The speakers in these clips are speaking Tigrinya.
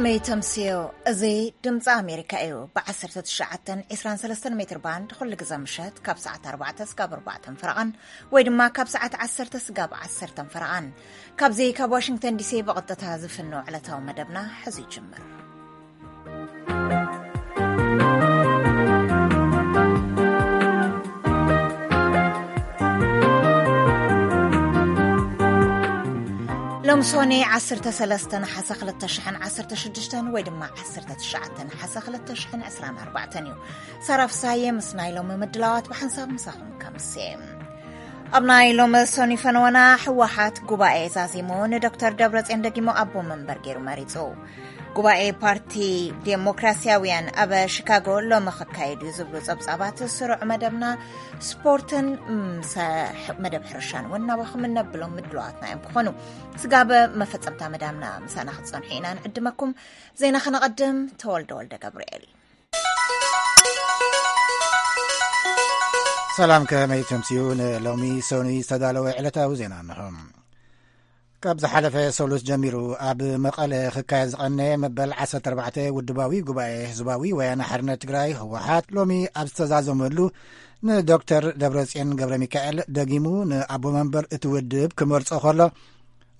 መይ ተምስዮ፣ እዚ ድምፂ ኣሜሪካ እዩ። ብ19 23 ሜትር ባንድ ኩሉ ግዜ ምሸት ካብ ሰዓት ኣርባዕተ ስጋብ ኣርባዕተ ፈረቓን ወይ ድማ ካብ ሰዓት ዓሰርተ ስጋብ ዓሰርተ ፈረቓን። ካብዚ ካብ ዋሽንግተን ዲሲ ብቐጥታ ዝፍኖ ዕለታዊ መደብና ሕዚ ይጅምር። ሎም ሶኒ 13 ነሓሰ 2016 ወይ ድማ 19 ነሓሰ 2024 እዩ። ሳራ ፍሳየ ምስ ናይ ሎሚ ምድላዋት ብሓንሳብ ምሳኹም ከምሴ። ኣብ ናይ ሎሚ ሶኒ ፈነወና፣ ህወሓት ጉባኤ ዛዚሙ ንዶክተር ደብረጽዮን ደጊሙ ኣቦ መንበር ገይሩ መሪጹ። ጉባኤ ፓርቲ ዴሞክራሲያውያን ኣብ ሺካጎ ሎሚ ክካየድ እዩ ዝብሉ ጸብጻባት ስሩዕ መደብና ስፖርትን ምስ መደብ ሕርሻን እውን ናባኹም እነብሎም ምድላዋትና እዮም ክኾኑ። ስጋብ መፈጸምታ መዳምና ምሳና ክትጸንሑ ኢና ንዕድመኩም። ዜና ከነቐድም፣ ተወልደ ወልደ ገብርኤል። ሰላም፣ ከመይ ተምስዩ? ንሎሚ ሰኑይ ዝተዳለወ ዕለታዊ ዜና እንሆ። ካብ ዝሓለፈ ሰሉስ ጀሚሩ ኣብ መቐለ ክካየድ ዝቐነየ መበል 14 ውድባዊ ጉባኤ ህዝባዊ ወያነ ሓርነት ትግራይ፣ ህወሓት፣ ሎሚ ኣብ ዝተዛዘመሉ፣ ንዶክተር ደብረጽዮን ገብረ ሚካኤል ደጊሙ ንኣቦ መንበር እቲ ውድብ ክመርጾ ከሎ፣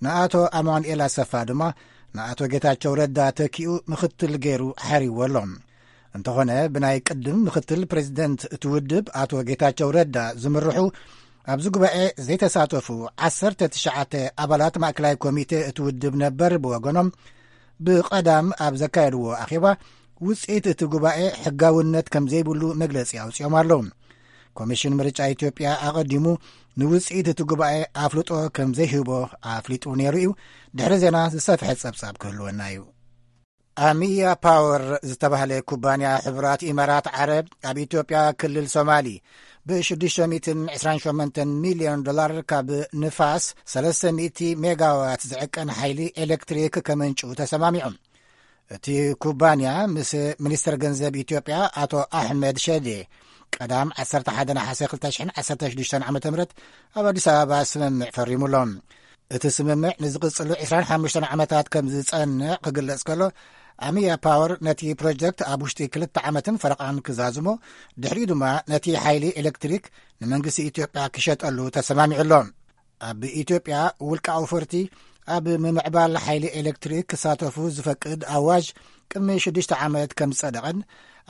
ንኣቶ ኣማኑኤል ኣሰፋ ድማ ንኣቶ ጌታቸው ረዳ ተኪኡ ምኽትል ገይሩ ሓሪዎ ኣሎ። እንተኾነ፣ ብናይ ቅድም ምኽትል ፕሬዚደንት እቲ ውድብ ኣቶ ጌታቸው ረዳ ዝምርሑ ኣብዚ ጉባኤ ዘይተሳተፉ 19 ኣባላት ማእከላይ ኮሚቴ እቲ ውድብ ነበር ብወገኖም፣ ብቐዳም ኣብ ዘካየድዎ ኣኼባ፣ ውጽኢት እቲ ጉባኤ ሕጋውነት ከም ዘይብሉ መግለጺ ኣውጺኦም ኣለዉ። ኮሚሽን ምርጫ ኢትዮጵያ ኣቐዲሙ ንውጽኢት እቲ ጉባኤ ኣፍልጦ ከም ዘይህቦ ኣፍሊጡ ነይሩ እዩ። ድሕሪ ዜና ዝሰፍሐ ጸብጻብ ክህልወና እዩ። ኣሚያ ፓወር ዝተባህለ ኩባንያ ሕቡራት ኢማራት ዓረብ ኣብ ኢትዮጵያ ክልል ሶማሊ ብ628 ሚልዮን ዶላር ካብ ንፋስ 300 ሜጋዋት ዝዕቀን ሓይሊ ኤሌክትሪክ ከመንጩ ተሰማሚዑ። እቲ ኩባንያ ምስ ሚኒስትር ገንዘብ ኢትዮጵያ ኣቶ ኣሕመድ ሸዴ ቀዳም 11 ነሓሰ 2016 ዓ.ም ኣብ ኣዲስ ኣበባ ስምምዕ ፈሪሙሎም። እቲ ስምምዕ ንዝቕጽሉ 25 ዓመታት ከም ዝጸንዕ ክግለጽ ከሎ፣ ኣሚያ ፓወር ነቲ ፕሮጀክት ኣብ ውሽጢ ክልተ ዓመትን ፈረቓን ክዛዝሞ፣ ድሕሪኡ ድማ ነቲ ሓይሊ ኤሌክትሪክ ንመንግስቲ ኢትዮጵያ ክሸጠሉ ተሰማሚዑ ኣሎ። ኣብ ኢትዮጵያ ውልቃዊ ፈርቲ ኣብ ምምዕባል ሓይሊ ኤሌክትሪክ ክሳተፉ ዝፈቅድ ኣዋጅ ቅድሚ ሽዱሽተ ዓመት ከም ዝጸደቐን፣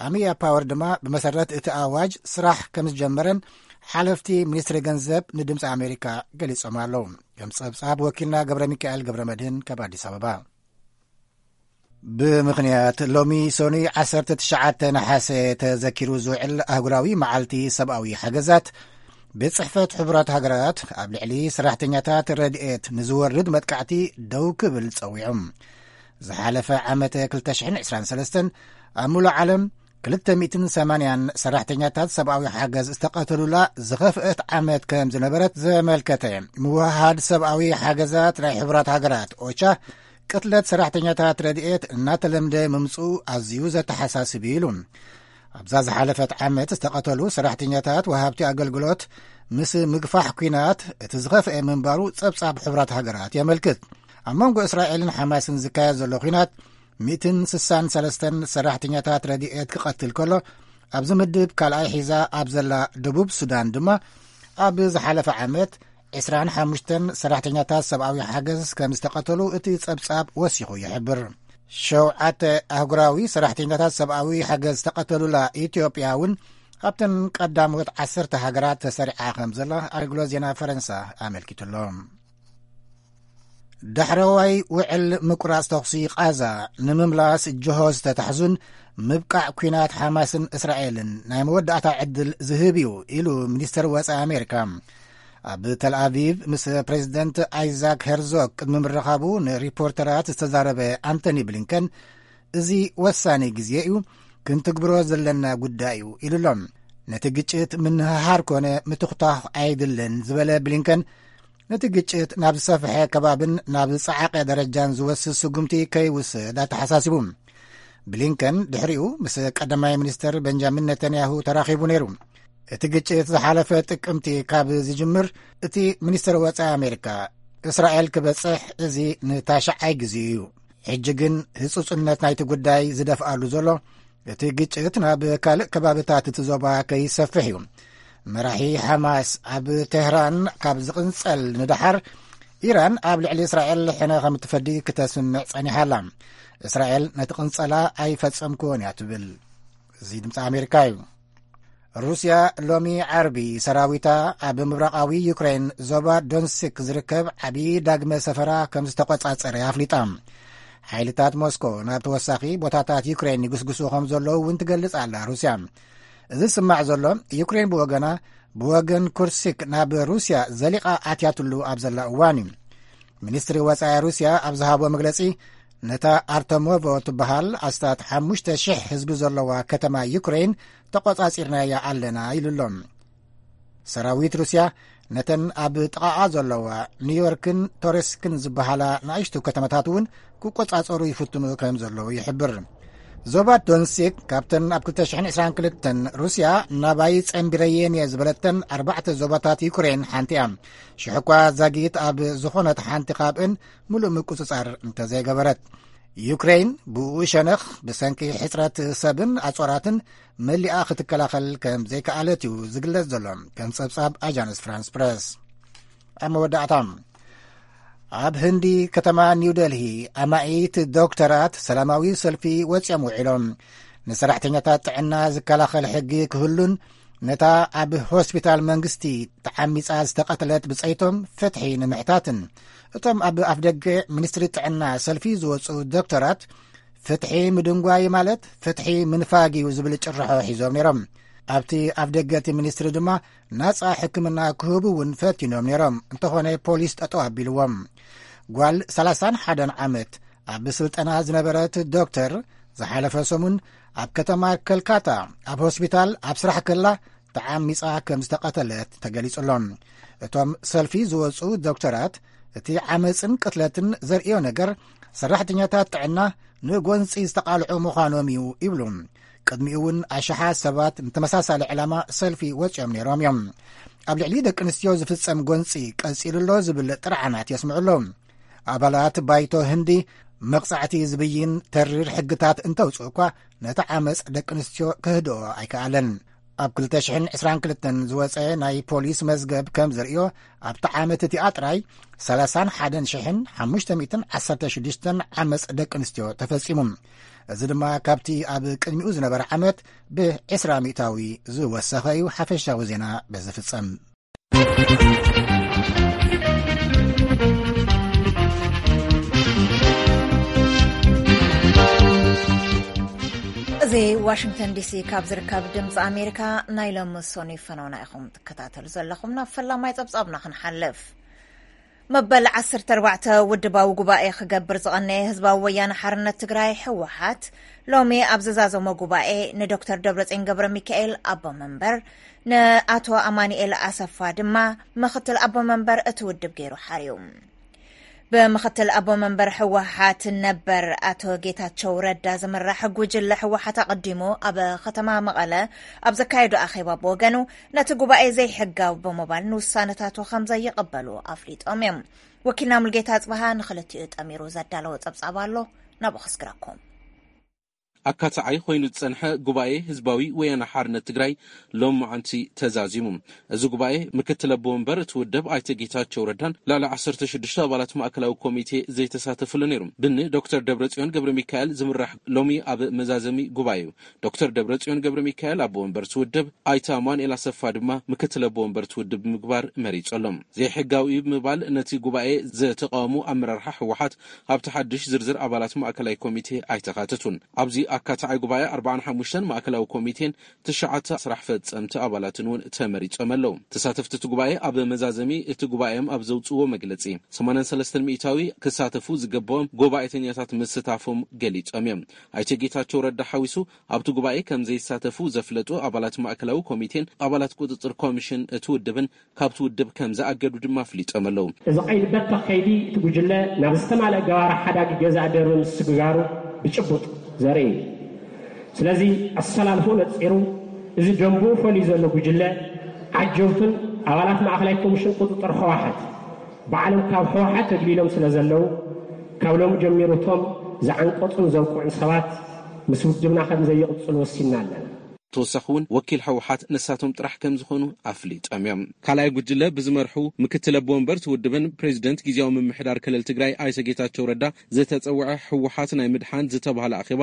ኣሚያ ፓወር ድማ ብመሰረት እቲ ኣዋጅ ስራሕ ከም ዝጀመረን ሓለፍቲ ሚኒስትሪ ገንዘብ ንድምፂ ኣሜሪካ ገሊጾም ኣለዉ። ከም ጸብጻብ ወኪልና ገብረ ሚካኤል ገብረ መድህን ካብ ኣዲስ ኣበባ። ብምኽንያት ሎሚ ሰኑይ 19 ነሓሰ ተዘኪሩ ዝውዕል ኣህጉራዊ መዓልቲ ሰብኣዊ ሓገዛት፣ ቤት ጽሕፈት ሕቡራት ሃገራት ኣብ ልዕሊ ሰራሕተኛታት ረድኤት ንዝወርድ መጥቃዕቲ ደው ክብል ጸዊዑ። ዝሓለፈ ዓመት 2023 ኣብ ሙሉእ ዓለም 280 ሰራሕተኛታት ሰብኣዊ ሓገዝ ዝተቐተሉላ ዝኸፍአት ዓመት ከም ዝነበረት ዘመልከተ ምውሃድ ሰብኣዊ ሓገዛት ናይ ሕቡራት ሃገራት ኦቻ፣ ቅትለት ሰራሕተኛታት ረድኤት እናተለምደ ምምፅኡ ኣዝዩ ዘተሓሳስብ እዩ ኢሉ። ኣብዛ ዝሓለፈት ዓመት ዝተቐተሉ ሰራሕተኛታት ወሃብቲ ኣገልግሎት ምስ ምግፋሕ ኲናት እቲ ዝኸፍአ ምንባሩ ጸብጻብ ሕቡራት ሃገራት የመልክት። ኣብ መንጎ እስራኤልን ሓማስን ዝካየድ ዘሎ ኲናት 163 ሰራሕተኛታት ረድኤት ክቐትል ከሎ፣ ኣብዚ ምድብ ካልኣይ ሒዛ ኣብ ዘላ ደቡብ ሱዳን ድማ ኣብ ዝሓለፈ ዓመት 25 ሰራሕተኛታት ሰብኣዊ ሓገዝ ከም ዝተቐተሉ እቲ ጸብጻብ ወሲኹ ይሕብር። ሸውዓተ ኣህጉራዊ ሰራሕተኛታት ሰብኣዊ ሓገዝ ዝተቐተሉላ ኢትዮጵያ እውን ኣብተን ቀዳሞት 10 ሃገራት ተሰሪዓ ከም ዘላ ኣገልግሎት ዜና ፈረንሳ ኣመልኪቱ ኣሎ። ዳሕረዋይ ውዕል ምቁራጽ ተኹሲ ቃዛ ንምምላስ ጅሆ ዝተታሕዙን ምብቃዕ ኲናት ሓማስን እስራኤልን ናይ መወዳእታ ዕድል ዝህብ እዩ ኢሉ ሚኒስተር ወጻኢ ኣሜሪካ። ኣብ ተል ኣቪቭ ምስ ፕሬዚደንት ኣይዛክ ሄርዞግ ቅድሚ ምርኻቡ ንሪፖርተራት ዝተዛረበ ኣንቶኒ ብሊንከን፣ እዚ ወሳኒ ግዜ እዩ፣ ክንትግብሮ ዘለና ጉዳይ እዩ ኢሉ ኣሎ። ነቲ ግጭት ምንህሃር ኮነ ምትኹታኽ ኣይድልን ዝበለ ብሊንከን፣ ነቲ ግጭት ናብ ዝሰፍሐ ከባብን ናብ ዝጸዓቐ ደረጃን ዝወስድ ስጉምቲ ከይውስድ ኣተሓሳሲቡ። ብሊንከን ድሕሪኡ ምስ ቀዳማይ ሚኒስተር ቤንጃሚን ነተንያሁ ተራኺቡ ነይሩ። እቲ ግጭት ዝሓለፈ ጥቅምቲ ካብ ዝጅምር፣ እቲ ሚኒስተር ወጻኢ ኣሜሪካ እስራኤል ክበጽሕ እዚ ንታሽዓይ ግዜ እዩ። ሕጂ ግን ህጹጽነት ናይቲ ጉዳይ ዝደፍኣሉ ዘሎ እቲ ግጭት ናብ ካልእ ከባብታት እቲ ዞባ ከይሰፍሕ እዩ። መራሒ ሓማስ ኣብ ቴህራን ካብ ዝቕንጸል ንደሓር፣ ኢራን ኣብ ልዕሊ እስራኤል ሕነ ከም እትፈዲ ክተስምዕ ጸኒሓ ኣላ። እስራኤል ነቲ ቅንጸላ ኣይፈጸምክዎን እያ ትብል። እዚ ድምፂ ኣሜሪካ እዩ። ሩስያ ሎሚ ዓርቢ ሰራዊታ ኣብ ምብራቓዊ ዩክሬን ዞባ ዶንስክ ዝርከብ ዓብዪ ዳግመ ሰፈራ ከም ዝተቆጻጸረ ኣፍሊጣ። ሓይልታት ሞስኮ ናብ ተወሳኺ ቦታታት ዩክሬን ይግስግሱ ከም ዘለዉ እውን ትገልጽ ኣላ ሩስያ። እዚ ዝስማዕ ዘሎ፣ ዩክሬን ብወገና፣ ብወገን ኩርሲክ ናብ ሩስያ ዘሊቓ ኣትያትሉ ኣብ ዘላ እዋን እዩ። ሚኒስትሪ ወጻኢ ሩስያ ኣብ ዝሃቦ መግለጺ፣ ነታ ኣርተሞቮ ትበሃል ኣስታት ሓሙሽተ ሽሕ ህዝቢ ዘለዋ ከተማ ዩክሬን ተቆጻጺርናያ ኣለና ኢሉ ኣሎ። ሰራዊት ሩስያ ነተን ኣብ ጥቓኣ ዘለዋ ኒውዮርክን ቶሬስክን ዝበሃላ ንኣሽቱ ከተማታት እውን ክቆጻጸሩ ይፍትኑ ከም ዘለዉ ይሕብር። ዞባ ዶንሲክ ካብተን ኣብ ክልተ ሽሕን ዕስራን ክልተን ሩስያ ናባይ ጸንቢረየን እየ ዝበለተን ኣርባዕተ ዞባታት ዩክሬን ሓንቲ እያ። ሽሕ እኳ ዛጊት ኣብ ዝኾነት ሓንቲ ካብእን ምሉእ ምቁጽጻር እንተዘይገበረት፣ ዩክሬን ብኡ ሸነኽ ብሰንኪ ሕጽረት ሰብን ኣጾራትን መሊኣ ክትከላኸል ከም ዘይከኣለት እዩ ዝግለጽ ዘሎ፣ ከም ጸብጻብ ኣጃንስ ፍራንስ ፕረስ። ኣብ መወዳእታ፣ ኣብ ህንዲ ከተማ ኒው ደልሂ ኣማኢት ዶክተራት ሰላማዊ ሰልፊ ወጺኦም ውዒሎም። ንሰራሕተኛታት ጥዕና ዝከላኸል ሕጊ ክህሉን ነታ ኣብ ሆስፒታል መንግስቲ ተዓሚጻ ዝተቐትለት ብጸይቶም ፍትሒ ንምሕታትን፣ እቶም ኣብ ኣፍደገ ሚኒስትሪ ጥዕና ሰልፊ ዝወጹ ዶክተራት፣ ፍትሒ ምድንጓይ ማለት ፍትሒ ምንፋግ እዩ ዝብል ጭርሖ ሒዞም ነይሮም። ኣብቲ ኣፍደገ እቲ ሚኒስትሪ ድማ ናጻ ሕክምና ክህቡ እውን ፈቲኖም ነይሮም። እንተኾነ ፖሊስ ጠጠው ኣቢልዎም። ጓል ሰላሳን ሓደን ዓመት ኣብ ስልጠና ዝነበረት ዶክተር፣ ዝሓለፈ ሰሙን ኣብ ከተማ ከልካታ ኣብ ሆስፒታል ኣብ ስራሕ ከላ ተዓሚጻ ከም ዝተቐተለት ተገሊጹ ኣሎ። እቶም ሰልፊ ዝወጹ ዶክተራት፣ እቲ ዓመጽን ቅትለትን ዘርእዮ ነገር ሰራሕተኛታት ጥዕና ንጎንጺ ዝተቓልዑ ምዃኖም እዩ ይብሉ። ቅድሚኡ እውን ኣሽሓት ሰባት ንተመሳሳሊ ዕላማ ሰልፊ ወጺኦም ነይሮም እዮም። ኣብ ልዕሊ ደቂ ኣንስትዮ ዝፍጸም ጎንጺ ቀጺሉ ኣሎ ዝብል ጥርዓናት የስምዑ ኣለዉ። ኣባላት ባይቶ ህንዲ መቕጻዕቲ ዝብይን ተሪር ሕግታት እንተውጽኡ እኳ፣ ነቲ ዓመጽ ደቂ ኣንስትዮ ክህድኦ ኣይከኣለን። ኣብ ክልተ ሽሕን ዕስራን ክልተን ዝወጸ ናይ ፖሊስ መዝገብ ከም ዘርእዮ፣ ኣብቲ ዓመት እቲኣ ጥራይ ሰላሳን ሓደን ሽሕን ሓሙሽተ ሚእትን ዓሰርተ ሽዱሽተን ዓመጽ ደቂ ኣንስትዮ ተፈጺሙ። እዚ ድማ ካብቲ ኣብ ቅድሚኡ ዝነበረ ዓመት ብዕስራ ሚእታዊ ዝወሰኸ እዩ። ሓፈሻዊ ዜና በዚ ፍጸም። እዚ ዋሽንግተን ዲሲ ካብ ዝርከብ ድምፂ ኣሜሪካ ናይ ሎሚ ሰኑይ ፈነውና ኢኹም ትከታተሉ ዘለኹም። ናብ ፈላማይ ጸብጻብና ክንሓልፍ። መበል ዓሰርተ ኣርባዕተ ውድባዊ ጉባኤ ክገብር ዝቐነየ ህዝባዊ ወያነ ሓርነት ትግራይ፣ ህወሓት፣ ሎሚ ኣብ ዝዛዘሞ ጉባኤ ንዶክተር ደብረጽዮን ገብረ ሚካኤል ኣቦ መንበር፣ ንኣቶ ኣማኑኤል ኣሰፋ ድማ ምኽትል ኣቦ መንበር እቲ ውድብ ገይሩ ሓርዩ። ብምኽትል ኣቦ መንበር ህወሓት ነበር ኣቶ ጌታቸው ረዳ ዝምራሕ ጉጅለ ህወሓት ኣቐዲሙ ኣብ ከተማ መቐለ ኣብ ዘካየዶ ኣኼባ ብወገኑ፣ ነቲ ጉባኤ ዘይሕጋዊ ብምባል ንውሳነታቱ ከም ዘይቕበሉ ኣፍሊጦም እዮም። ወኪልና ሙልጌታ ኣጽብሃ ንኽልቲኡ ጠሚሩ ዘዳለዎ ጸብጻብ ኣሎ፣ ናብኡ ከስግረኩም። ኣካታዓይ ኮይኑ ዝጸንሐ ጉባኤ ህዝባዊ ወያነ ሓርነት ትግራይ ሎም መዓንቲ ተዛዚሙ። እዚ ጉባኤ ምክትል ኣቦ ወንበር እቲ ውድብ ኣይተ ጌታቸው ረዳን ልዕሊ ዓሰርተ ሽዱሽተ ኣባላት ማእከላዊ ኮሚቴ ዘይተሳተፍሉ ነይሩ። ብኒ ዶክተር ደብረጽዮን ገብረ ሚካኤል ዝምራሕ ሎሚ ኣብ መዛዘሚ ጉባኤ እዩ። ዶክተር ደብረጽዮን ገብረ ሚካኤል ኣቦ ወንበር እቲ ውድብ፣ ኣይተ ኣማኑኤል ኣሰፋ ድማ ምክትል ኣቦ ወንበር እቲ ውድብ ብምግባር መሪጹ ኣሎ። ዘይሕጋዊ እዩ ብምባል ነቲ ጉባኤ ዝተቃወሙ ኣመራርሓ ህወሓት ኣብቲ ሓድሽ ዝርዝር ኣባላት ማእከላይ ኮሚቴ ኣይተኻተቱን። ኣብዚ ኣካታዓይ ጉባኤ ኣርባዓን ሓሙሽተን ማእከላዊ ኮሚቴን ትሽዓተ ስራሕ ፈጸምቲ ኣባላትን እውን ተመሪጾም ኣለዉ። ተሳተፍቲ እቲ ጉባኤ ኣብ መዛዘሚ እቲ ጉባኤም ኣብ ዘውጽእዎ መግለጺ፣ ሰማንያን ሰለስተን ሚእታዊ ክሳተፉ ዝገበኦም ጉባኤተኛታት ምስታፎም ገሊጾም እዮም። ኣይተ ጌታቸው ረዳ ሓዊሱ ኣብቲ ጉባኤ ከም ዘይሳተፉ ዘፍለጡ ኣባላት ማእከላዊ ኮሚቴን ኣባላት ቁጽጽር ኮሚሽን እቲ ውድብን ካብቲ ውድብ ከም ዝኣገዱ ድማ ኣፍሊጦም ኣለዉ። እዚ ቀይዲ በተኽ ከይዲ እቲ ጉጅለ ናብ ዝተማልአ ገባር ሓዳጊ ገዛእ ደርቢ ምስግጋሩ ብጭቡጥ ዘርኢ እዩ። ስለዚ ኣሰላልፎ ነጺሩ፣ እዚ ደንቡ ፈልዩ ዘሎ ጉጅለ ዓጀውትን ኣባላት ማእከላይ ኮሚሽን ቁጽጽር ህወሓት ባዕሎም ካብ ህወሓት ተግሊሎም ስለ ዘለዉ፣ ካብ ሎሚ ጀሚሩ እቶም ዝዓንቀጹን ዘውቅዑን ሰባት ምስ ውድብና ከም ዘይቕጽሉ ወሲንና ኣለና። ተወሳኺ እውን ወኪል ህወሓት ንሳቶም ጥራሕ ከም ዝኾኑ ኣፍሊጦም እዮም። ካልኣይ ጉጅለ ብዝመርሑ ምክትል ኣቦ ወንበር እቲ ውድብን ፕሬዚደንት ግዜያዊ ምምሕዳር ክልል ትግራይ ኣይተ ጌታቸው ረዳ ዝተጸውዐ ህወሓት ናይ ምድሓን ዝተባህለ ኣኼባ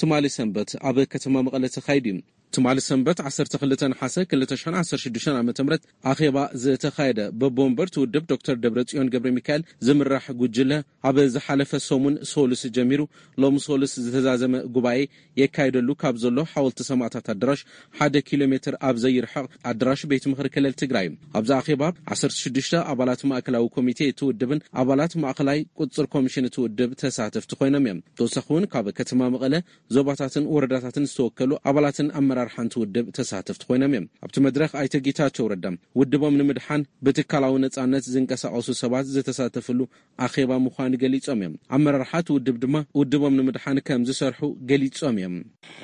ትማሊ ሰንበት ኣብ ከተማ መቐለ ተኻይዱ እዩ። ትማሊ ሰንበት ዓሰርተ ክልተ ነሓሰ ክልተ ሽሕን ዓሰርተ ሽዱሽተን ዓመተ ምህረት ኣኼባ ዝተኻየደ በቦ ወንበር እቲ ውድብ ዶክተር ደብረጽዮን ገብረ ሚካኤል ዝምራሕ ጉጅለ ኣብ ዝሓለፈ ሰሙን ሶሉስ ጀሚሩ ሎም ሶሉስ ዝተዛዘመ ጉባኤ የካየደሉ ካብ ዘሎ ሓወልቲ ሰማእታት ኣዳራሽ ሓደ ኪሎ ሜትር ኣብ ዘይርሕቕ ኣዳራሽ ቤት ምኽሪ ክልል ትግራይ። ኣብዚ ኣኼባ ዓሰርተ ሽዱሽተ ኣባላት ማእከላዊ ኮሚቴ እቲ ውድብን ኣባላት ማእከላይ ቁጽር ኮሚሽን እቲ ውድብ ተሳተፍቲ ኮይኖም እዮም። ተወሳኺ እውን ካብ ከተማ መቐለ ዞባታትን ወረዳታትን ዝተወከሉ ኣባላትን ኣመራርሓን እቲ ውድብ ተሳተፍቲ ኮይኖም እዮም። ኣብቲ መድረኽ ኣይተ ጌታቸው ረዳ ውድቦም ንምድሓን ብትካላዊ ነጻነት ዝንቀሳቐሱ ሰባት ዝተሳተፍሉ ኣኼባ ምዃኑ ገሊጾም እዮም። ኣመራርሓ እቲ ውድብ ድማ ውድቦም ንምድሓን ከም ዝሰርሑ ገሊጾም እዮም።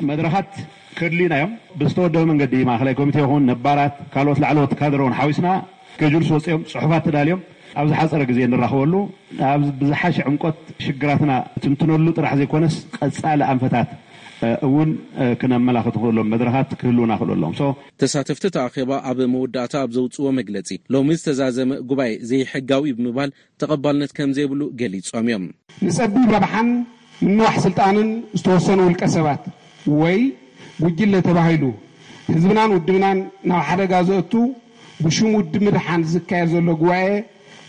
መድረኻት ከድልዩና እዮም። ብዝተወደበ መንገዲ ማእኸላይ ኮሚቴ ይኹን ነባራት ካልኦት ላዕለዎት ካድረ እውን ሓዊስና ስኬጁልስ ወፂኦም ፅሑፋት ተዳልዮም ኣብ ዝሓፀረ ግዜ ንራኸበሉ ኣብ ብዝሓሸ ዕምቆት ሽግራትና ትንትነሉ ጥራሕ ዘይኮነስ ቀፃሊ ኣንፈታት እውን ክነመላኽት ንኽእሎም መድረኻት ክህልውና ክእሉ ኣለዎም። So ተሳተፍቲ እቲ ኣኼባ ኣብ መወዳእታ ኣብ ዘውፅዎ መግለፂ ሎሚ ዝተዛዘመ ጉባኤ ዘይሕጋዊ ብምባል ተቐባልነት ከም ዘይብሉ ገሊጾም እዮም። ንጸቢብ ረብሓን ምንዋሕ ስልጣንን ዝተወሰኑ ውልቀ ሰባት ወይ ጉጅለ ተባሂሉ ህዝብናን ውድብናን ናብ ሓደጋ ዘእቱ ብሽም ውድብ ምድሓን ዝካየድ ዘሎ ጉባኤ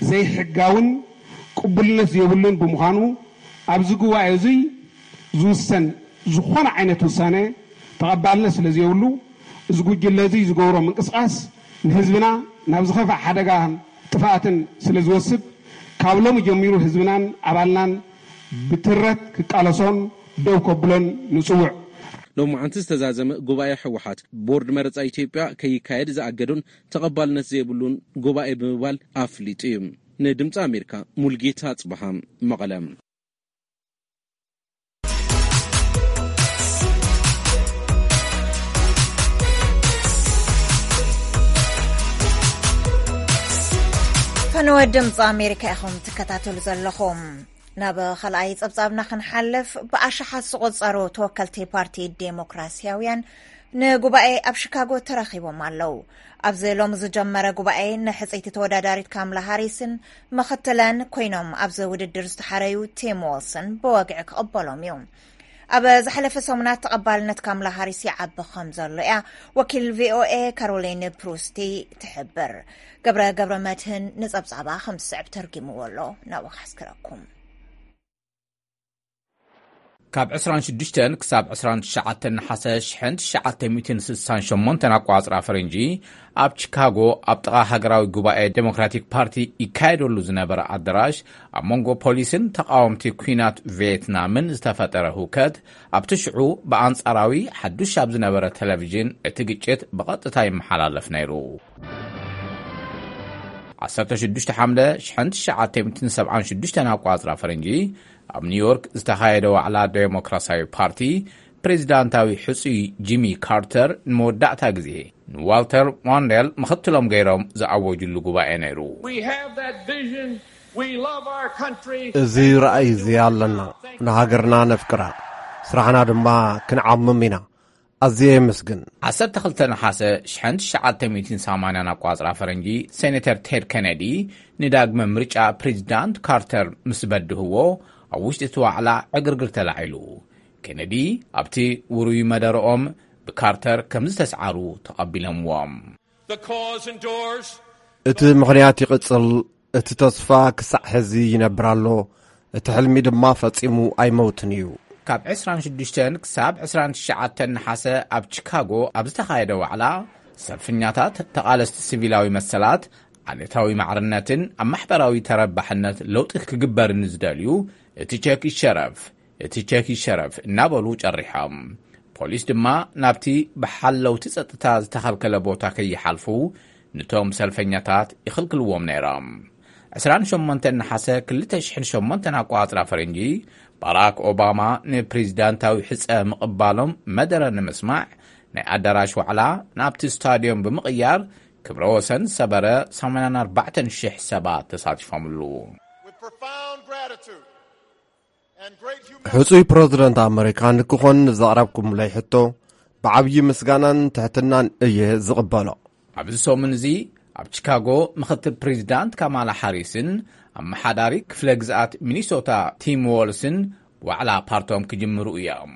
ዘይሕጋውን ቅቡልነት ዘይብሉን ብምዃኑ ኣብዚ ጉባኤ እዙይ ዝውሰን ዝኾነ ዓይነት ውሳነ ተቐባልነት ስለ ዘይብሉ እዚ ጉጅለ እዙይ ዝገብሮ ምንቅስቃስ ንህዝብና ናብ ዝኸፍእ ሓደጋን ጥፍኣትን ስለ ዝወስድ ካብ ሎሚ ጀሚሩ ህዝብናን ኣባልናን ብትረት ክቃለሶን ደው ከብሎን ንጽውዕ። ሎማዓንቲ ዝተዛዘመ ጉባኤ ህወሓት ቦርድ መረፃ ኢትዮጵያ ከይካየድ ዝኣገዱን ተቐባልነት ዘይብሉን ጉባኤ ብምባል ኣፍሊጡ እዩ። ንድምፂ ኣሜሪካ ሙልጌታ ኣፅበሃ መቐለ። ፈነወ ድምፂ ኣሜሪካ ኢኹም ትከታተሉ ዘለኹም። ናብ ካልኣይ ጸብጻብና ክንሓልፍ፣ ብኣሽሓት ዝቑጸሩ ተወከልቲ ፓርቲ ዴሞክራሲያውያን ንጉባኤ ኣብ ሺካጎ ተረኺቦም ኣለዉ። ኣብዚ ሎሚ ዝጀመረ ጉባኤ ንሕጽይቲ ተወዳዳሪት ካምላ ሃሪስን ምኽትለን ኮይኖም ኣብዚ ውድድር ዝተሓረዩ ቲም ዎልስን ብወግዒ ክቕበሎም እዩ። ኣብ ዝሓለፈ ሰሙናት ተቐባልነት ካምላ ሃሪስ ይዓቢ ከም ዘሎ እያ ወኪል ቪኦኤ ካሮሊን ፕሩስቲ ትሕብር። ገብረ ገብረ መድህን ንጸብጻባ ከም ዝስዕብ ተርጊምዎ ኣሎ። ናብኡ ከሕስክረኩም። ካብ ዕስራን ሽዱሽተን ክሳብ ዕስራን ትሽዓተን ነሓሰ ሽሕን ትሽዓተ ሚእትን ስሳን ሸሞንተን ኣቋጽራ ፈረንጂ ኣብ ቺካጎ ኣብ ጥቓ ሃገራዊ ጉባኤ ዴሞክራቲክ ፓርቲ ይካየደሉ ዝነበረ ኣዳራሽ ኣብ መንጎ ፖሊስን ተቓወምቲ ኲናት ቪየትናምን ዝተፈጠረ ህውከት ኣብቲ ሽዑ ብኣንጻራዊ ሓዱሽ ኣብ ዝነበረ ቴሌቪዥን እቲ ግጭት ብቐጥታ ይመሓላለፍ ነይሩ። ዓሰርተ ሽዱሽተ ሓምለ ሽሕን ትሽዓተ ሚእትን ሰብዓን ሽዱሽተን ኣቋጽራ ፈረንጂ ኣብ ኒውዮርክ ዝተኻየደ ዋዕላ ዴሞክራሲያዊ ፓርቲ ፕሬዚዳንታዊ ሕጹይ ጂሚ ካርተር ንመወዳእታ ግዜ ንዋልተር ሞንዴል ምኽትሎም ገይሮም ዝኣወጅሉ ጉባኤ ነይሩ። We have that vision. We love our country. እዚ ራእይ እዚ ኣለና። ንሃገርና ነፍቅራ፣ ስራሕና ድማ ክንዓምም ኢና። ኣዝየ የመስግን። ዓሰርተ ክልተ ነሓሰ ሽሕን ትሽዓተ ሚእትን ሰማንያን ኣቋጽራ ፈረንጂ ሴኔተር ቴድ ኬነዲ ንዳግመ ምርጫ ፕሬዚዳንት ካርተር ምስ በድህዎ ኣብ ውሽጢ እቲ ዋዕላ ዕግርግር ተላዒሉ። ኬነዲ ኣብቲ ውሩይ መደረኦም ብካርተር ከም ዝተስዓሩ ተቐቢሎምዎም። The cause endures. እቲ ምኽንያት ይቕጽል፣ እቲ ተስፋ ክሳዕ ሕዚ ይነብር ኣሎ፣ እቲ ሕልሚ ድማ ፈጺሙ ኣይመውትን እዩ። ካብ ዕስራን ሽዱሽተን ክሳብ ዕስራን ትሽዓተን ነሓሰ ኣብ ቺካጎ ኣብ ዝተኻየደ ዋዕላ፣ ሰልፈኛታት ተቓለስቲ ሲቪላዊ መሰላት፣ ዓሌታዊ ማዕርነትን ኣብ ማሕበራዊ ተረባሕነት ለውጢ ክግበርን ዝደልዩ፣ እቲ ቸክ ይሸረፍ፣ እቲ ቸክ ይሸረፍ እናበሉ ጨሪሖም። ፖሊስ ድማ ናብቲ ብሓለውቲ ጸጥታ ዝተኸልከለ ቦታ ከይሓልፉ ንቶም ሰልፈኛታት ይኽልክልዎም ነይሮም። ዕስራን ሸሞንተን ነሓሰ ክልተ ሽሕን ሸሞንተን ኣቋጽራ ፈረንጂ፣ ባራክ ኦባማ ንፕሬዚዳንታዊ ሕጸ ምቕባሎም መደረ ንምስማዕ ናይ ኣዳራሽ ዋዕላ ናብቲ ስታድዮም ብምቕያር ክብረ ወሰን ሰበረ። ሰማንያን ኣርባዕተን ሽሕ ሰባት ተሳቲፎምሉ። With profound gratitude. ሕጹይ ፕረዚደንት ኣመሪካ ንክኾን ንዘቕረብኩምለይ ሕቶ ብዓብዪ ምስጋናን ትሕትናን እየ ዝቕበሎ። ኣብዚ ሰሙን እዚ ኣብ ቺካጎ ምኽትል ፕሬዚዳንት ካማላ ሃሪስን ኣመሓዳሪ ክፍለ ግዝኣት ሚኒሶታ ቲም ዎልስን ዋዕላ ፓርቶም ክጅምሩ እዮም።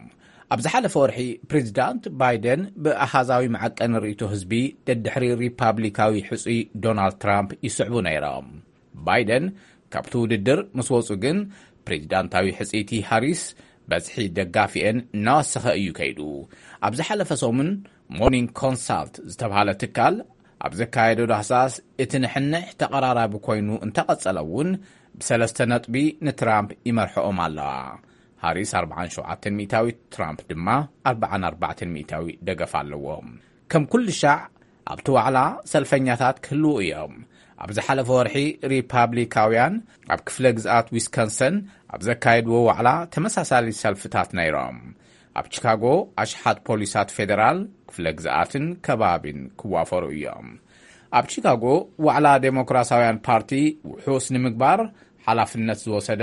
ኣብ ዝሓለፈ ወርሒ ፕሬዚዳንት ባይደን ብኣሃዛዊ መዐቀኒ ርእይቶ ህዝቢ ደድሕሪ ሪፓብሊካዊ ሕጹይ ዶናልድ ትራምፕ ይስዕቡ ነይሮም። ባይደን ካብቲ ውድድር ምስ ወጹ ግን ፕሬዚዳንታዊ ሕጽይቲ ሃሪስ በዝሒ ደጋፊኤን እናወሰኸ እዩ ከይዱ። ኣብ ዝሓለፈ ሰሙን ሞርኒንግ ኮንሳልት ዝተባህለ ትካል ኣብ ዘካየዶ ዳህሳስ እቲ ንሕንሕ ተቐራራቢ ኮይኑ እንተቐጸለ እውን ብሰለስተ ነጥቢ ንትራምፕ ይመርሕኦም ኣለዋ። ሃሪስ ኣርብዓን ሸውዓተን ሚእታዊት፣ ትራምፕ ድማ ኣርብዓን ኣርባዕተን ሚእታዊ ደገፍ ኣለዎ። ከም ኩሉ ሻዕ ኣብቲ ዋዕላ ሰልፈኛታት ክህልዉ እዮም። ኣብ ዝሓለፈ ወርሒ ሪፓብሊካውያን ኣብ ክፍለ ግዝኣት ዊስኮንሰን ኣብ ዘካየድዎ ዋዕላ ተመሳሳሊ ሰልፍታት ነይሮም። ኣብ ቺካጎ ኣሽሓት ፖሊሳት ፌደራል ክፍለ ግዝኣትን ከባቢን ክዋፈሩ እዮም። ኣብ ቺካጎ ዋዕላ ዴሞክራሲያውያን ፓርቲ ውሑስ ንምግባር ሓላፍነት ዝወሰደ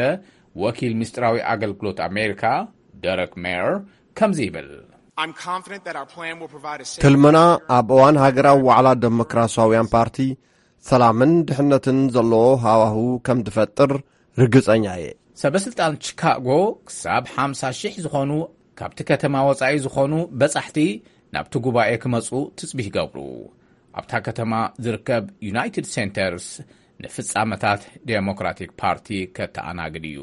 ወኪል ምስጢራዊ ኣገልግሎት ኣሜሪካ ደረክ ሜየር ከምዚ ይብል። I'm confident that our plan will provide a safe ትልምና ኣብ እዋን ሃገራዊ ዋዕላ ዴሞክራሲያውያን ፓርቲ ሰላምን ድሕነትን ዘለዎ ሃዋህው ከም ዝፈጥር ርግጸኛ እየ። ሰበስልጣን ቺካጎ ክሳብ ሓምሳ ሺሕ ዝኾኑ ካብቲ ከተማ ወጻኢ ዝኾኑ በጻሕቲ ናብቲ ጉባኤ ክመጹ ትጽቢት ይገብሩ። ኣብታ ከተማ ዝርከብ ዩናይትድ ሴንተርስ ንፍጻመታት ዴሞክራቲክ ፓርቲ ከተኣናግድ እዩ።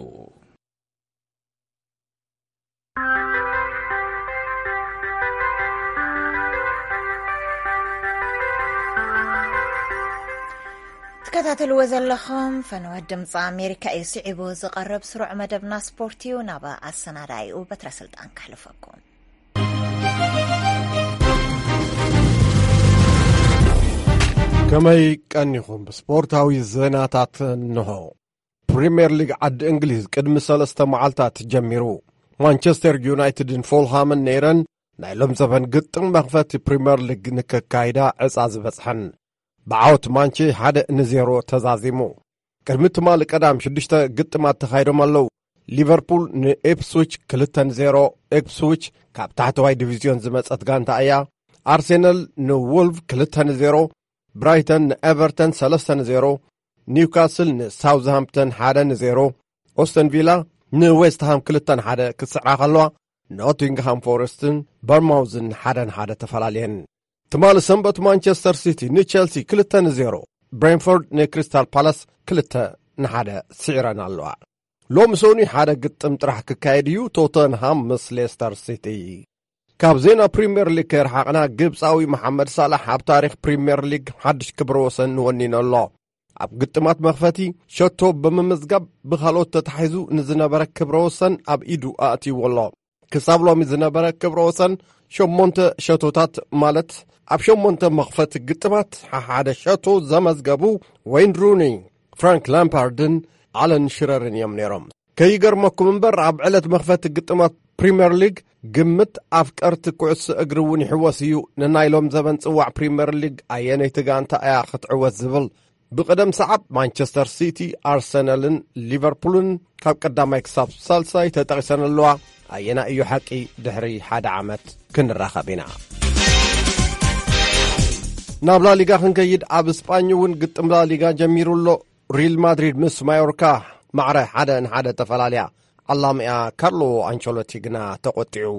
ትከታተልዎ ዘለኹም ፈነወ ድምፂ ኣሜሪካ እዩ። ስዒቡ ዝቐርብ ስሩዕ መደብና ስፖርት እዩ። ናብ ኣሰናዳኢኡ በትረ ስልጣን ከሕልፈኩም። ከመይ ቀኒኹም? ብስፖርታዊ ዜናታት እንሆ። ፕሪምየር ሊግ ዓዲ እንግሊዝ ቅድሚ ሰለስተ መዓልታት ጀሚሩ። ማንቸስተር ዩናይትድን ፎልሃምን ነይረን ናይ ሎም ዘበን ግጥም መኽፈቲ ፕሪምየር ሊግ ንከካይዳ ዕፃ ዝበፅሐን። ብዓወት ማንቼ ሓደ ንዜሮ ተዛዚሙ። ቅድሚ ትማሊ ቀዳም ሽዱሽተ ግጥማት ተኻይዶም ኣለዉ። ሊቨርፑል ንኢፕስዊች ክልተ ንዜሮ። ኢፕስዊች ካብ ታሕተዋይ ዲቪዝዮን ዝመጸት ጋንታ እያ። ኣርሴናል ንወልቭ ክልተ ንዜሮ፣ ብራይተን ንኤቨርተን ሰለስተ ንዜሮ፣ ኒውካስል ንሳውዝሃምፕተን ሓደ ንዜሮ፣ ኦስተን ቪላ ንዌስትሃም ክልተ ንሓደ ክትስዕራ ከለዋ፣ ኖቲንግሃም ፎረስትን በርማውዝን ሓደ ንሓደ ተፈላለየን። ትማሊ ሰንበት ማንቸስተር ሲቲ ንቸልሲ ክልተ ንዜሮ፣ ብሬንፎርድ ንክሪስታል ፓላስ ክልተ ንሓደ ስዒረን ኣለዋ። ሎሚ ሰኑይ ሓደ ግጥም ጥራሕ ክካየድ እዩ፣ ቶተንሃም ምስ ሌስተር ሲቲ። ካብ ዜና ፕሪምየር ሊግ ከይረሓቕና፣ ግብፃዊ መሓመድ ሳላሕ ኣብ ታሪኽ ፕሪምየር ሊግ ሓድሽ ክብረ ወሰን ወኒኑ ኣሎ። ኣብ ግጥማት መኽፈቲ ሸቶ ብምምዝጋብ ብኻልኦት ተታሒዙ ንዝነበረ ክብረ ወሰን ኣብ ኢዱ ኣእትይዎ ኣሎ። ክሳብ ሎሚ ዝነበረ ክብረ ወሰን ሸሞንተ ሸቶታት፣ ማለት ኣብ ሸሞንተ መኽፈቲ ግጥማት ሓደ ሸቶ ዘመዝገቡ ወይን ሩኒ፣ ፍራንክ ላምፓርድን ኣለን ሽረርን እዮም ነይሮም። ከይገርመኩም እምበር፣ ኣብ ዕለት መኽፈቲ ግጥማት ፕሪምየር ሊግ ግምት ኣፍቀርቲ ኩዕሶ እግሪ እውን ይሕወስ እዩ። ንናይ ሎም ዘበን ጽዋዕ ፕሪምየር ሊግ ኣየነይቲ ጋንታ እያ ክትዕወት ዝብል ብቕደም ሰዓብ ማንቸስተር ሲቲ፣ ኣርሰናልን ሊቨርፑልን ካብ ቀዳማይ ክሳብ ሳልሳይ ተጠቒሰን ኣለዋ። ኣየና እዩ ሓቂ? ድሕሪ ሓደ ዓመት ክንራኸብ ኢና። ናብ ላሊጋ ክንከይድ፣ ኣብ ስጳኝ እውን ግጥም ላሊጋ ጀሚሩ ኣሎ። ሪል ማድሪድ ምስ ማዮርካ ማዕረ ሓደ ንሓደ ተፈላለያ። ዓላሚኣ ካርሎ ኣንቸሎቲ ግና ተቖጢዑ።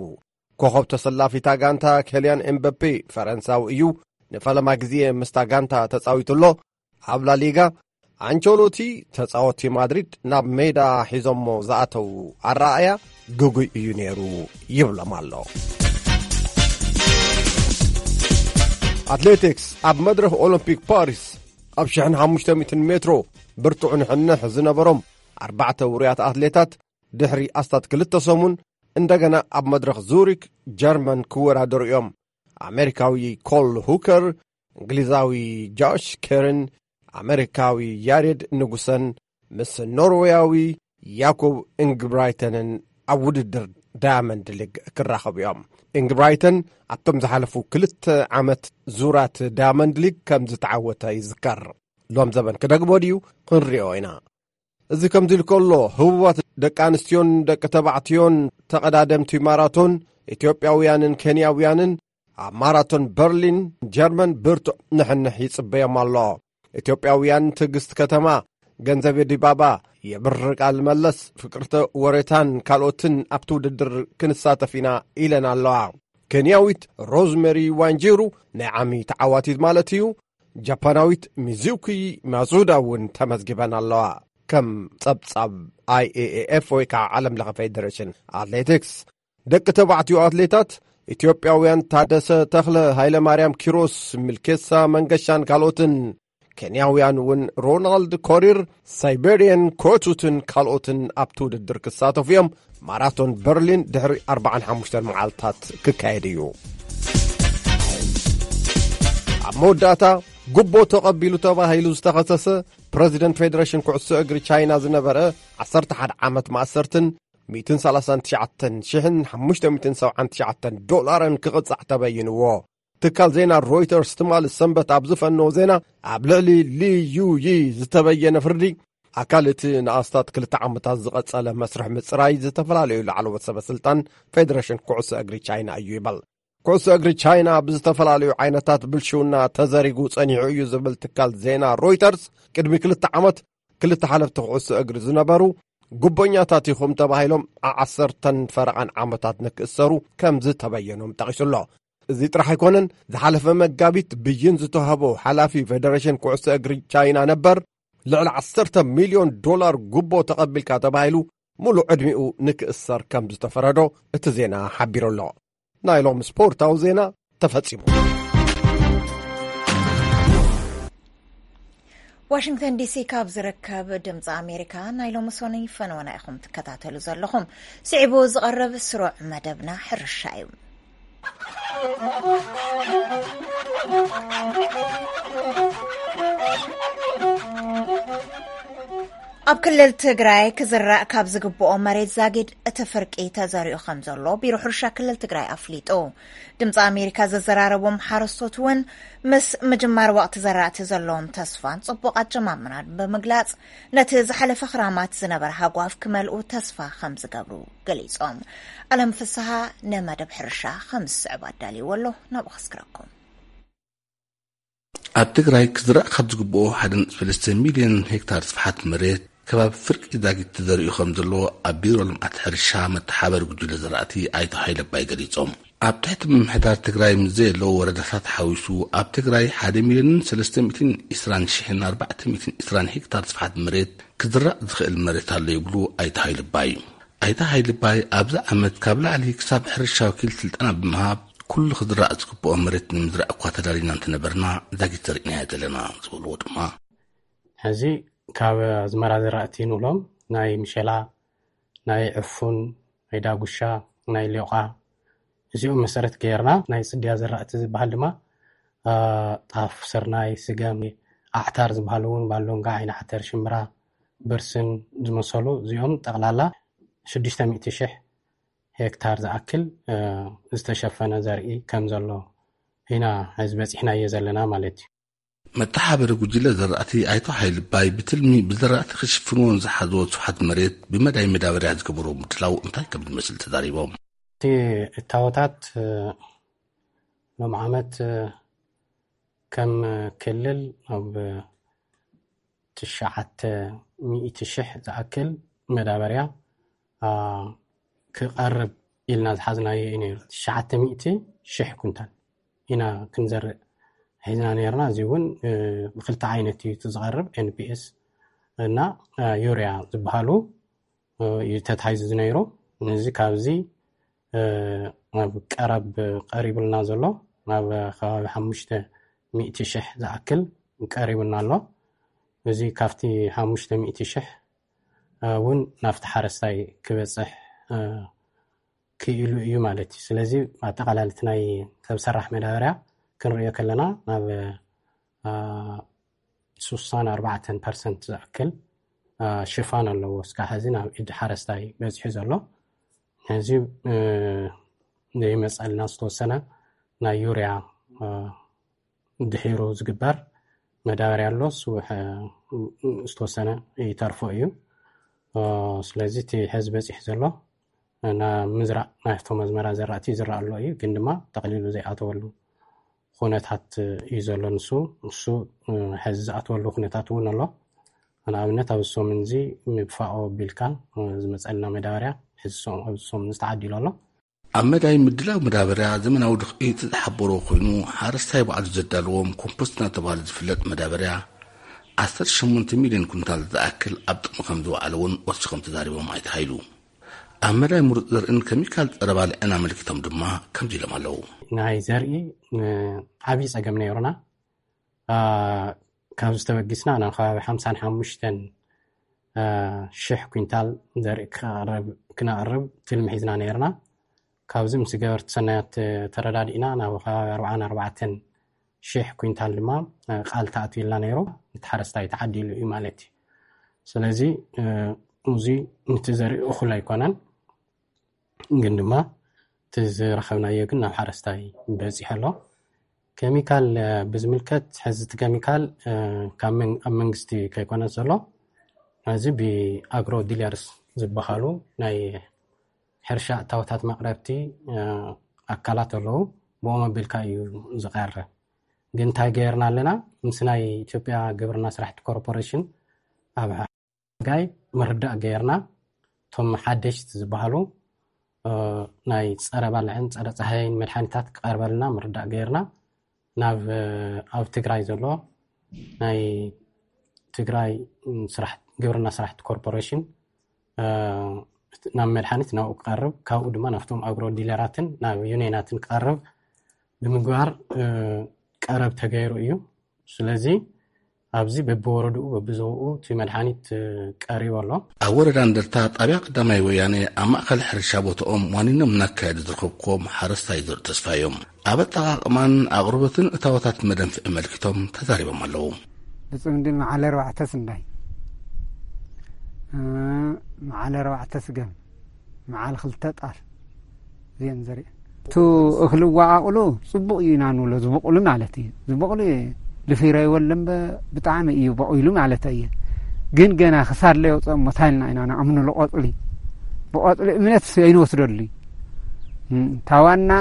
ኮኸብ ተሰላፊታ ጋንታ ኬልያን ኤምበፔ ፈረንሳዊ እዩ። ንፈለማ ግዜ ምስታ ጋንታ ተጻዊቱ ኣሎ። ኣብ ላሊጋ ኣንቸሎቲ ተጻወቲ ማድሪድ ናብ ሜዳ ሒዞሞ ዝኣተው ኣረኣእያ ግጉይ እዩ ነይሩ ይብሎም ኣሎ። ኣትሌቲክስ፣ ኣብ መድረኽ ኦሎምፒክ ፓሪስ ኣብ ሽሕን ሓሙሽተ ሚእትን ሜትሮ ብርቱዕ ንሕንሕ ዝነበሮም ኣርባዕተ ውሩያት ኣትሌታት ድሕሪ ኣስታት ክልተ ሰሙን እንደገና ኣብ መድረኽ ዙሪክ ጀርመን ክወዳደሩ እዮም። ኣሜሪካዊ ኮል ሁከር፣ እንግሊዛዊ ጆሽ ኬርን፣ ኣሜሪካዊ ያሬድ ንጉሰን ምስ ኖርዌያዊ ያኮብ ኢንግብራይተንን ኣብ ውድድር ዳያመንድ ሊግ ክራኸቡ እዮም። ኢንግብራይተን ኣብቶም ዝሓለፉ ክልተ ዓመት ዙራት ዳያመንድ ሊግ ከም ዝተዓወተ ይዝከር። ሎም ዘበን ክደግሞ ድዩ? ክንሪኦ ኢና። እዚ ከምዚ ኢሉ ከሎ፣ ህቡባት ደቂ ኣንስትዮን ደቂ ተባዕትዮን ተቐዳደምቲ ማራቶን ኢትዮጵያውያንን ኬንያውያንን ኣብ ማራቶን በርሊን ጀርመን ብርቱዕ ንሕንሕ ይጽበዮም ኣሎ። ኢትዮጵያውያን ትዕግስት ከተማ፣ ገንዘቤ ዲባባ፣ የብር ቃል መለስ፣ ፍቅርተ ወሬታን ካልኦትን ኣብቲ ውድድር ክንሳተፍ ኢና ኢለን ኣለዋ። ኬንያዊት ሮዝመሪ ዋንጂሩ ናይ ዓሚ ተዓዋቲት ማለት እዩ። ጃፓናዊት ሚዙኪ ማዙዳ እውን ተመዝጊበን ኣለዋ። ከም ጸብጻብ ኣይኤኤኤፍ ወይ ከዓ ዓለም ለኸ ፌደሬሽን ኣትሌቲክስ፣ ደቂ ተባዕትዮ ኣትሌታት ኢትዮጵያውያን ታደሰ ተኽለ፣ ሃይለ ማርያም ኪሮስ፣ ሚልኬሳ መንገሻን ካልኦትን፣ ኬንያውያን እውን ሮናልድ ኮሪር፣ ሳይቤሪየን ኮቹትን ካልኦትን ኣብቲ ውድድር ክሳተፉ እዮም። ማራቶን በርሊን ድሕሪ ኣርባዓን ሓሙሽተን መዓልታት ክካየድ እዩ። ኣብ መወዳእታ፣ ጉቦ ተቐቢሉ ተባሂሉ ዝተኸሰሰ ፕረዚደንት ፌደሬሽን ኩዕሶ እግሪ ቻይና ዝነበረ፣ ዓሰርተ ሓደ ዓመት ማእሰርትን ሚእትን ሰላሳን ትሽዓተን ሽሕን ሓሙሽተ ሚእትን ሰብዓን ትሽዓተን ዶላርን ክቕጻዕ ተበይንዎ። ትካል ዜና ሮይተርስ ትማሊ ሰንበት ኣብ ዝፈነዎ ዜና፣ ኣብ ልዕሊ ሊ ዩ ዪ ዝተበየነ ፍርዲ፣ ኣካል እቲ ንኣስታት ክልተ ዓመታት ዝቐጸለ መስርሕ ምጽራይ ዝተፈላለዩ ላዕለዎት ሰበ ስልጣን ፌደሬሽን ኩዕሶ እግሪ ቻይና እዩ ይበል። ኩዕሶ እግሪ ቻይና ብዝተፈላለዩ ዓይነታት ብልሽውና ተዘሪጉ ጸኒሑ እዩ ዝብል ትካል ዜና ሮይተርስ፣ ቅድሚ ክልተ ዓመት ክልተ ሓለፍቲ ኩዕሶ እግሪ ዝነበሩ ጉቦኛታት ኢኹም ተባሂሎም ዓሰርተን ፈረቓን ዓመታት ንክእሰሩ ከም ዝተበየኖም ጠቒሱ ኣሎ። እዚ ጥራሕ ኣይኮነን፣ ዝሓለፈ መጋቢት ብይን ዝተዋህቦ ሓላፊ ፌደሬሽን ኩዕሶ እግሪ ቻይና ነበር፣ ልዕሊ ዓሰርተ ሚልዮን ዶላር ጉቦ ተቐቢልካ ተባሂሉ፣ ሙሉእ ዕድሚኡ ንክእሰር ከም ዝተፈረዶ እቲ ዜና ሓቢሩ ኣሎ። ናይ ሎም ስፖርታዊ ዜና ተፈጺሙ። ዋሽንግተን ዲሲ ካብ ዝርከብ ድምፂ ኣሜሪካ ናይ ሎሚ ሰኑይ ፈነወና ኢኹም ትከታተሉ ዘለኹም። ስዒቡ ዝቐርብ ስሩዕ መደብና ሕርሻ እዩ። ኣብ ክልል ትግራይ ክዝራእ ካብ ዝግብኦ መሬት ዛጊድ እቲ ፍርቂ ተዘሪኡ ከም ዘሎ ቢሮ ሕርሻ ክልል ትግራይ ኣፍሊጡ። ድምፂ ኣሜሪካ ዘዘራረቦም ሓረስቶት እውን ምስ ምጅማር ወቕቲ ዘራእቲ ዘለዎም ተስፋን ፅቡቕ ኣጀማምራን ብምግላፅ፣ ነቲ ዝሓለፈ ክራማት ዝነበረ ሃጓፍ ክመልኡ ተስፋ ከም ዝገብሩ ገሊፆም። ኣለም ፍስሃ ንመደብ ሕርሻ ከም ዝስዕብ ኣዳልይዎ ኣሎ፣ ናብኡ ከስክረኩም። ኣብ ትግራይ ክዝራእ ካብ ዝግብኦ ሓደ ነጥቢ ሰለስተ ሚልዮን ሄክታር ስፍሓት መሬት ከባቢ ፍርቂ ዛጊት ተዘሪኡ ከም ዘሎ ኣብ ቢሮ ልምዓት ሕርሻ መተሓበሪ ጉጅለ ዘራእቲ ኣይተ ሃይለ ኣባይ ገሊጾም። ኣብ ትሕቲ ምምሕዳር ትግራይ ምስ ዘየለዉ ወረዳታት ሓዊሱ ኣብ ትግራይ ሓደ ሚልዮንን ሰለስተ ሚእትን ዕስራን ሽሕን ኣርባዕተ ሚእትን ዕስራን ሄክታር ስፍሓት መሬት ክዝራእ ዝኽእል መሬት ኣሎ ይብሉ ኣይተ ሃይለ ኣባይ። ኣይተ ሃይለ ኣባይ ኣብዚ ዓመት ካብ ላዕሊ ክሳብ ሕርሻ ወኪል ስልጠና ብምሃብ ኩሉ ክዝራእ ዝግብኦ መሬት ንምዝራእ እኳ ተዳሊና እንተነበርና ዛጊት ዘሪእናዮ ዘለና ዝበልዎ ድማ ሕዚ ካብ ኣዝመራ ዘራእቲ ንብሎም ናይ ምሸላ፣ ናይ ዕፉን፣ ናይ ዳጉሻ፣ ናይ ሊዮቓ እዚኦም መሰረት ገይርና ናይ ጽድያ ዘራእቲ ዝበሃል ድማ ጣፍ፣ ስርናይ፣ ስገም፣ ኣዕታር ዝበሃሉ እውን ባሎንጋ፣ ዓይኒ ዓተር፣ ሽምብራ፣ ብርስን ዝመሰሉ እዚኦም ጠቕላላ ሽዱሽተ ሚእቲ ሽሕ ሄክታር ዝኣክል ዝተሸፈነ ዘርኢ ከም ዘሎ ኢና ሕዚ በጺሕናዮ ዘለና ማለት እዩ። መተሓበሪ ጉጅለ ዘራእቲ ኣይቶ ሃይልባይ ብትልሚ ብዘራእቲ ክሽፍንዎ ንዝሓዝዎ ስፍሓት መሬት ብመዳይ መዳበርያ ዝገበርዎ ምድላው እንታይ ከም ዝመስል ተዛሪቦም። እቲ እታወታት ሎም ዓመት ከም ክልል ኣብ ትሽዓተ ሚእቲ ሽሕ ዝኣክል መዳበርያ ክቐርብ ኢልና ዝሓዝናዮ እዩ ነይሩ። ትሽዓተ ሚእቲ ሽሕ ኩንታል ኢና ክንዘርእ ሒዝና ነርና። እዚ እውን ብክልተ ዓይነት እዩ እቲ ዝቐርብ፣ ኤንፒኤስ እና ዩርያ ዝበሃሉ እዩ ተታሒዙ ዝነይሩ። ነዚ ካብዚ ናብ ቀረብ ቀሪቡልና ዘሎ ናብ ከባቢ ሓሙሽተ ሚእቲ ሽሕ ዝኣክል ቀሪቡና ኣሎ። እዚ ካብቲ ሓሙሽተ ሚእቲ ሽሕ እውን ናብቲ ሓረስታይ ክበፅሕ ክኢሉ እዩ ማለት እዩ። ስለዚ ኣጠቓላሊ እቲ ናይ ሰብ ሰራሕ መዳበርያ ክንሪኦ ከለና ናብ ስሳን ኣርባዕተን ፐርሰንት ዝኣክል ሽፋን ኣለዎ እስካብ ሕዚ ናብ ኢድ ሓረስታይ በፂሑ ዘሎ። ሕዚ ዘይመፀልና ዝተወሰነ ናይ ዩርያ ድሒሩ ዝግበር መዳበርያ ኣሎ። ዝተወሰነ ይተርፎ እዩ። ስለዚ እቲ ሕዚ በፂሕ ዘሎ ናብ ምዝራእ ናይቶም ኣዝመራ ዘራእቲ ዝረእ ኣሎ እዩ፣ ግን ድማ ጠቕሊሉ ዘይኣተወሉ ኩነታት እዩ ዘሎ። ንሱ እሱ ሕዚ ዝኣተወሉ ኩነታት እውን ኣሎ። ንኣብነት ኣብዚ ሰሙን እዚ ምብፋኦ ቢልካ ዝመፀልና መዳበርያ ሕዚ ኣብዚ ሰሙን ዝተዓዲሉ ኣሎ። ኣብ መዳይ ምድላው መዳበርያ ዘመናዊ ድኽዒ ዝተሓበሮ ኮይኑ ሓረስታይ ባዕሉ ዘዳለዎም ኮምፖስት እናተባሃለ ዝፍለጥ መዳበርያ ዓሰርተ ሸሞንተ ሚልዮን ኩንታል ዝኣክል ኣብ ጥቕሚ ከም ዝወዓለ እውን ወሲኾም ተዛሪቦም ኣይተ ሃይሉ። ኣብ መዳይ ምሩፅ ዘርእን ከሚካል ፀረ ባልዕን ኣመልኪቶም ድማ ከምዚ ኢሎም ኣለዉ። ናይ ዘርኢ ዓብዪ ፀገም ነይሩና። ካብ ዝተበጊስና ናብ ከባቢ ሓምሳን ሓሙሽተን ሽሕ ኩንታል ዘርኢ ክነቕርብ ትልሚ ሒዝና ነይርና። ካብዚ ምስ ገበርቲ ሰናያት ተረዳዲእና ናብ ከባቢ ኣርባዓን ኣርባዕተን ሽሕ ኩንታል ድማ ቃል ተኣትዩልና ነይሩ። እቲ ሓረስታይ ተዓዲሉ እዩ ማለት እዩ። ስለዚ እዚ ነቲ ዘርኢ እኹል ኣይኮነን፣ ግን ድማ እቲ ዝረኸብናዮ ግን ናብ ሓረስታይ በፂሑ ኣሎ። ከሚካል ብዝምልከት ሕዚ እቲ ከሚካል ካብ መንግስቲ ከይኮነ ዘሎ፣ እዚ ብኣግሮ ዲለርስ ዝበሃሉ ናይ ሕርሻ እታወታት መቕረብቲ ኣካላት ኣለዉ። ብኦም ኣቢልካ እዩ ዝቐርብ። ግን እንታይ ገይርና ኣለና? ምስ ናይ ኢትዮጵያ ግብርና ስራሕቲ ኮርፖሬሽን ኣብ ጋይ ምርዳእ ገይርና፣ እቶም ሓደሽቲ ዝበሃሉ ናይ ፀረ ባልዕን ፀረ ፀሃይን መድሓኒታት ክቐርበልና ምርዳእ ገይርና፣ ናብ ኣብ ትግራይ ዘሎ ናይ ትግራይ ግብርና ስራሕቲ ኮርፖሬሽን ናብ መድሓኒት ናብኡ ክቐርብ፣ ካብኡ ድማ ናብቶም ኣግሮ ዲለራትን ናብ ዩኒየናትን ክቐርብ ብምግባር ቀረብ ተገይሩ እዩ። ስለዚ ኣብዚ በብወረድኡ በብዞብኡ እቲ መድሓኒት ቀሪቡ ኣሎ። ኣብ ወረዳ እንደርታ ጣብያ ቀዳማይ ወያነ ኣብ ማእከል ሕርሻ ቦታኦም ዋኒኖም እናካየዱ ዝረኸብኩዎም ሓረስታይ ዘርኢ ተስፋ እዮም። ኣብ ኣጠቓቕማን ኣቕርቦትን እታወታት መደንፍዒ ኣመልኪቶም ተዛሪቦም ኣለዉ። ብፅምዲ መዓል ኣርባዕተ ስንዳይ፣ መዓል ኣርባዕተ ስገም፣ መዓል ክልተ ጣል እዚአን ዘርኢ። እቲ እኽሊ ዋዓቕሉ ፅቡቕ እዩ ኢና ንብሎ፣ ዝበቑሉ ማለት እዩ። ዝበቑሉ ልፊሮ ይወል እምበ ብጣዕሚ እዩ በቑሉ ማለት እየ። ግን ገና ክሳድ ለየውፅኦ እሞ ታይልና ኢና ንኣምንሉ ቆፅሊ። ብቆፅሊ እምነት ኣይንወስደሉ እዩ። ታዋና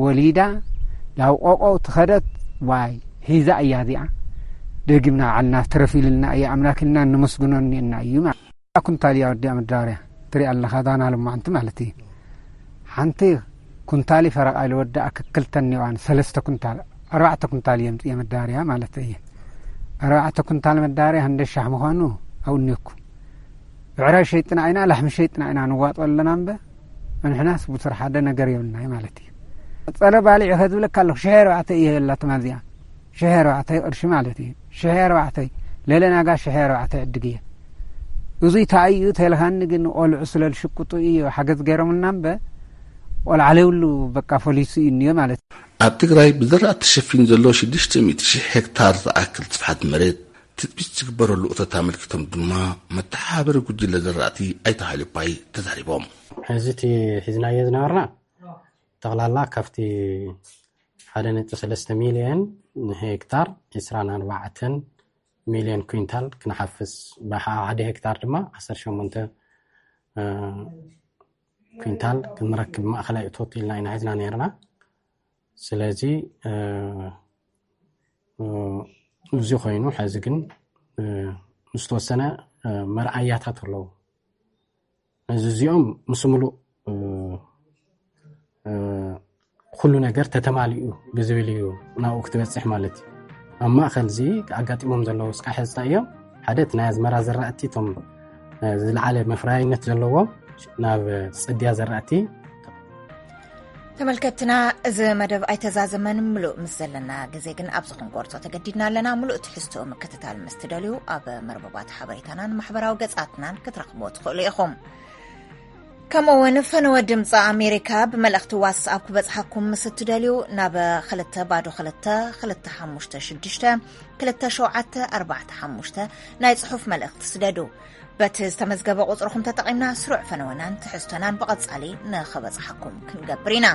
ወሊዳ ናብ ቆቆ ትኸደት ዋይ ሒዛ እያ እዚኣ። ደጊምና ባዕልና ትረፊልና እያ ኣምላክልና ንመስግኖ እኒአና እዩ ማለት ኩንታል እያ ወዲኣ መዳበርያ ትሪኣ ኣለኻ ዳና ልማዕንቲ ማለት እዩ። ሓንቲ ኩንታል ፈረቓ ኢሉ ወዳኣ ክክልተን ኒዋን ሰለስተ ኩንታል ኣርባዕተ ኩንታል እየ ምፅየ መዳበርያ ማለት እየ። ኣርባዕተ ኩንታል መዳበርያ ክንደ ሻሕ ምዃኑ ኣውኒኩ ብዕራይ ሸይጥና ኢና ላሕሚ ሸይጥና ኢና ንዋጦ ኣለና እምበ ንሕናስ ብሱር ሓደ ነገር የብልናይ ማለት እዩ። ፀረ ባሊዕ ከዝብለካ ኣለኹ ሽሕ ኣርባዕተ እየ የላ ትማል እዚኣ ሽሕ ኣርባዕተ ቅርሺ ማለት እዩ። ሽሕ ኣርባዕተ ለለ ናጋ ሽሕ ኣርባዕተ ዕድግ እየ። እዙይ ተኣይኡ ተልኻኒ ግን ቆልዑ ስለ ዝሽቅጡ እዩ ሓገዝ ገይሮምልና እምበ ቆልዓ ለብሉ በቃ ፈሊሱ እዩ እኒኦ ማለት እዩ። ኣብ ትግራይ ብዝራእቲ ተሸፊኑ ዘሎ ሽዱሽተ ሚእቲ ሺሕ ሄክታር ዝኣክል ስፍሓት መሬት ትፅቢት ዝግበረሉ እቶት ኣመልኪቶም ድማ መተሓባበሪ ጉጅለ ዝራእቲ ኣይተ ሃይሉ ባይ ተዛሪቦም። ሕዚ እቲ ሒዝናዮ ዝነበርና ጠቕላላ ካብቲ ሓደ ነጥቢ ሰለስተ ሚልዮን ንሄክታር ዕስራን ኣርባዕተን ሚልዮን ኩንታል ክንሓፍስ ብሓደ ሄክታር ድማ ዓሰርተ ሸሞንተ ኩንታል ክንረክብ ማእኸላይ እቶት ኢልና ኢና ሒዝና ነርና። ስለዚ እዚ ኮይኑ ሕዚ ግን ዝተወሰነ መርኣያታት ኣለዉ። እዚ እዚኦም ምስ ሙሉእ ኩሉ ነገር ተተማሊኡ ብዝብል እዩ ናብኡ ክትበፅሕ ማለት እዩ። ኣብ ማእኸል እዚ ኣጋጢሞም ዘለዉ ስቃ ሕዝታ እዮም። ሓደ እቲ ናይ ኣዝመራ ዘራእቲ እቶም ዝለዓለ መፍረያይነት ዘለዎ ናብ ፅድያ ዘራእቲ ተመልከትና፣ እዚ መደብ ኣይተዛዘመን ምሉእ ምስ ዘለና ግዜ ግን ኣብዚ ክንቆርጾ ተገዲድና ኣለና። ምሉእ ትሕዝትኡ ምክትታል ምስ ትደልዩ ኣብ መርበባት ሓበሬታናን ማሕበራዊ ገጻትናን ክትረኽቦ ትኽእሉ ኢኹም። ከምኡ እውን ፈነወ ድምፂ ኣሜሪካ ብመልእኽቲ ዋትስኣፕ ክበፅሓኩም ምስ እትደልዩ ናብ ክልተ ባዶ ክልተ ክልተ ሓሙሽተ ሽዱሽተ ክልተ ሸውዓተ ኣርባዕተ ሓሙሽተ ናይ ፅሑፍ መልእኽቲ ስደዱ። በቲ ዝተመዝገበ ቁፅርኹም ተጠቒምና ስሩዕ ፈነወናን ትሕዝቶናን ብቐፃሊ ንኽበፅሓኩም ክንገብር ኢና።